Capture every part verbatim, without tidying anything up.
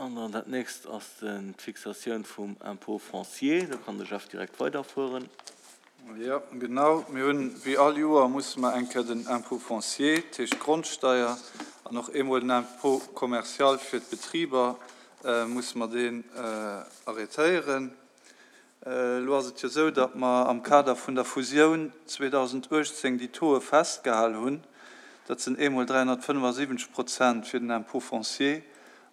An dann dat nächst ass d'Fixatioun vum Impôt foncier. Do kann de Jeff direkt weiderfueren. Jo, genau. Mir hunn, wéi all Joer, musse mer eng Kéier den Impôt foncier, dat heescht d'Grondsteier, an och eemol den Impôt commercial fir d'Betriber, musse mer deen arrêtéieren. Elo ass et jo esou, datt mer am Kader vun der Fusioun zweedausenduechtzéng déi Tauxe festgehal hunn. Dat sinn eemol dräihonnertfënnefasiwwenzeg Prozent fir den Impôt foncier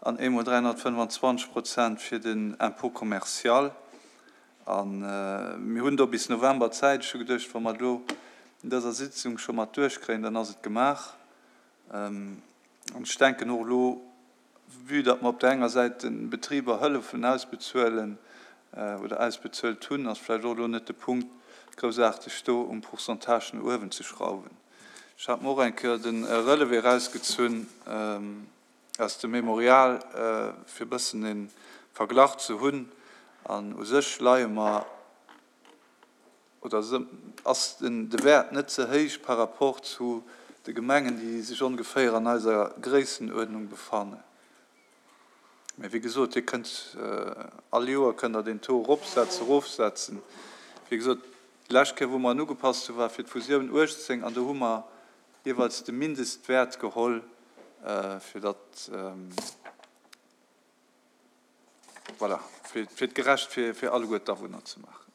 an eemol dräihonnertfënnefenzwanzeg Prozent fir den Impôt commercial. A mir hunn do bis November Zäit. Ech hu geduecht, wa mer et elo in dëser Sitzung scho mat duerchkréien, dann ass et gemaach. An ech denken och elo, vue datt mer op där enger Säit de Betriber hëllefen ausbezuelen oder ausbezuelt hunn, ass vläicht och elo net de Punkt, groussaarteg do um Pourcentage no uewen ze schrauwen. Ech hat mer och eng Kéier de Relevé erausgezunn aus dem Mémorial, fir e bëssen e Verglach ze hunn. An u sech leie mer, oder ass de Wäert net ze héich par rapport zu de Gemengen, déi sech ongeféier an eiser Gréissenuerdnung befannen. Mä wéi gesot, Dir kënnt all Joer kënnt Der deen Taux eropsetzen, erofsetzen. Wéi gesot, déi lescht Kéier, wou mer en ugepasst hunn, war fir d'Fusioun uechtzéng an do hu mer jeeweils de Mindestwäert geholl, fir datt, voilà, fir et gerecht fir alleguer d'Awunner ze maachen.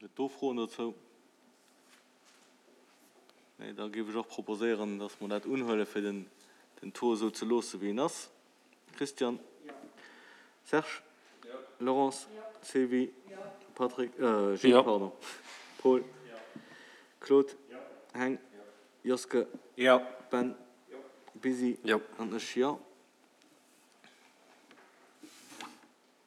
Gëtt et do Froen dozou? Nee, da géif ech och proposéieren, dass mer dat unhuelen, fir den, den Taux esou ze loosse wéi en ass. Christian? Serge? Laurence? Sylvie? Patrick? Gilles, pardon. Paul? Claude? Heng? Joske? Ben? Busy? An ech, jo.